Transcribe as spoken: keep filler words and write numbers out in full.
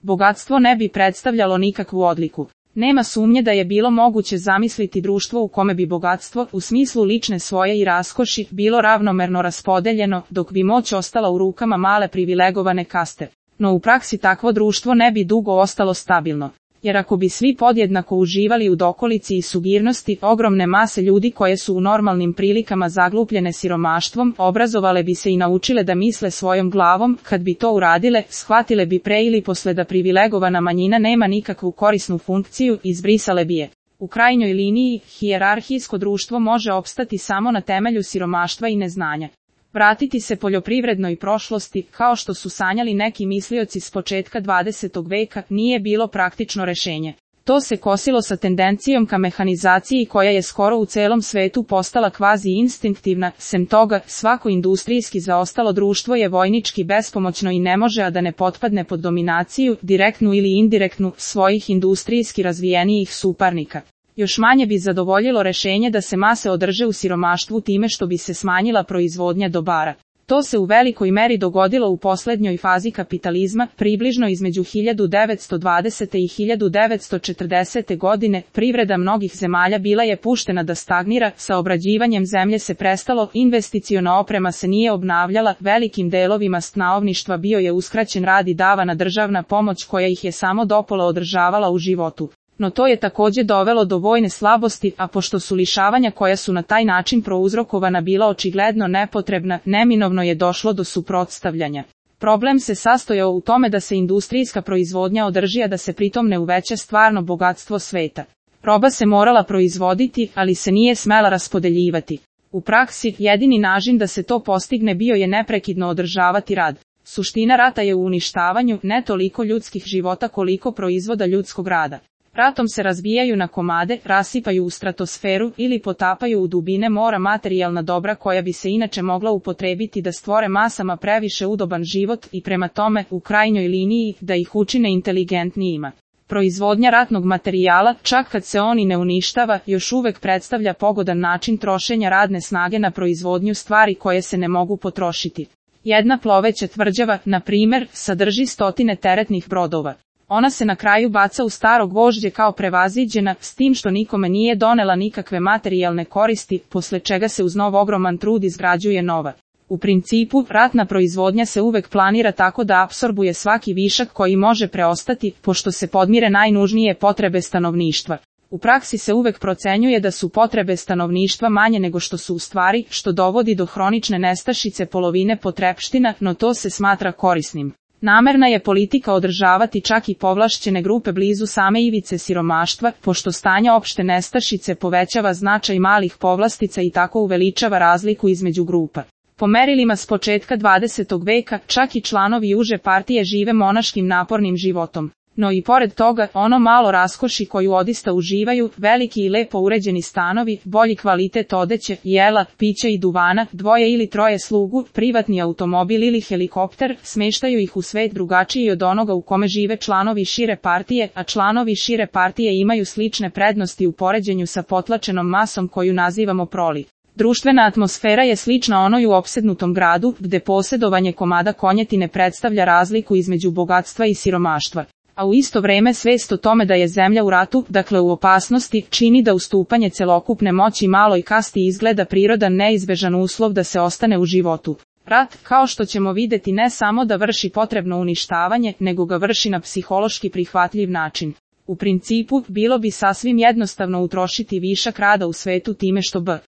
bogatstvo ne bi predstavljalo nikakvu odliku. Nema sumnje da je bilo moguće zamisliti društvo u kome bi bogatstvo, u smislu lične svoje i raskoši, bilo ravnomerno raspodeljeno, dok bi moć ostala u rukama male privilegovane kaste. No u praksi takvo društvo ne bi dugo ostalo stabilno. Jer ako bi svi podjednako uživali u dokolici i sugirnosti, ogromne mase ljudi koje su u normalnim prilikama zaglupljene siromaštvom, obrazovale bi se i naučile da misle svojom glavom, kad bi to uradile, shvatile bi pre ili posle da privilegovana manjina nema nikakvu korisnu funkciju, izbrisale bi je. U krajnjoj liniji, hijerarhijsko društvo može opstati samo na temelju siromaštva i neznanja. Vratiti se poljoprivrednoj prošlosti, kao što su sanjali neki mislioci s početka dvadesetog veka, nije bilo praktično rešenje. To se kosilo sa tendencijom ka mehanizaciji koja je skoro u celom svetu postala kvazi instinktivna, sem toga, svako industrijski zaostalo društvo je vojnički bespomoćno i ne može a da ne potpadne pod dominaciju, direktnu ili indirektnu, svojih industrijski razvijenijih suparnika. Još manje bi zadovoljilo rešenje da se mase održe u siromaštvu time što bi se smanjila proizvodnja dobara. To se u velikoj meri dogodilo u poslednjoj fazi kapitalizma, približno između hiljadu devetsto dvadesete i hiljadu devetsto četrdesete godine, privreda mnogih zemalja bila je puštena da stagnira, sa obrađivanjem zemlje se prestalo, investiciona oprema se nije obnavljala, velikim delovima stanovništva bio je uskraćen rad i davana državna pomoć koja ih je samo dopola održavala u životu. No to je takođe dovelo do vojne slabosti, a pošto su lišavanja koja su na taj način prouzrokovana bila očigledno nepotrebna, neminovno je došlo do suprotstavljanja. Problem se sastojao u tome da se industrijska proizvodnja održi, a da se pritom ne uveća stvarno bogatstvo sveta. Roba se morala proizvoditi, ali se nije smela raspodeljivati. U praksi, jedini način da se to postigne bio je neprekidno održavati rad. Suština rata je u uništavanju, ne toliko ljudskih života koliko proizvoda ljudskog rada. Ratom se razbijaju na komade, rasipaju u stratosferu ili potapaju u dubine mora materijalna dobra koja bi se inače mogla upotrebiti da stvore masama previše udoban život i prema tome, u krajnjoj liniji, da ih učine inteligentnijima. Proizvodnja ratnog materijala, čak kad se on i ne uništava, još uvek predstavlja pogodan način trošenja radne snage na proizvodnju stvari koje se ne mogu potrošiti. Jedna ploveća tvrđava, na primer, sadrži stotine teretnih brodova. Ona se na kraju baca u staro gvožđe kao prevaziđena, s tim što nikome nije donela nikakve materijalne koristi, posle čega se uz nov ogroman trud izgrađuje nova. U principu, ratna proizvodnja se uvek planira tako da apsorbuje svaki višak koji može preostati, pošto se podmire najnužnije potrebe stanovništva. U praksi se uvek procenjuje da su potrebe stanovništva manje nego što su u stvari, što dovodi do hronične nestašice polovine potrepština, no to se smatra korisnim. Namerna je politika održavati čak i povlašćene grupe blizu same ivice siromaštva, pošto stanje opšte nestašice povećava značaj malih povlastica i tako uveličava razliku između grupa. Po merilima s početka dvadesetog veka, čak i članovi uže partije žive monaškim napornim životom. No i pored toga, ono malo raskoši koju odista uživaju, veliki i lepo uređeni stanovi, bolji kvalitet odeće, jela, pića i duvana, dvoje ili troje slugu, privatni automobil ili helikopter, smeštaju ih u svet drugačiji od onoga u kome žive članovi šire partije, a članovi šire partije imaju slične prednosti u poređenju sa potlačenom masom koju nazivamo proli. Društvena atmosfera je slična onoj u opsednutom gradu, gde posjedovanje komada konjetine predstavlja razliku između bogatstva i siromaštva. A u isto vreme svest o tome da je zemlja u ratu, dakle u opasnosti, čini da ustupanje celokupne moći maloj kasti izgleda prirodan neizbežan uslov da se ostane u životu. Rat, kao što ćemo videti, ne samo da vrši potrebno uništavanje, nego ga vrši na psihološki prihvatljiv način. U principu, bilo bi sasvim jednostavno utrošiti višak rada u svetu time što b.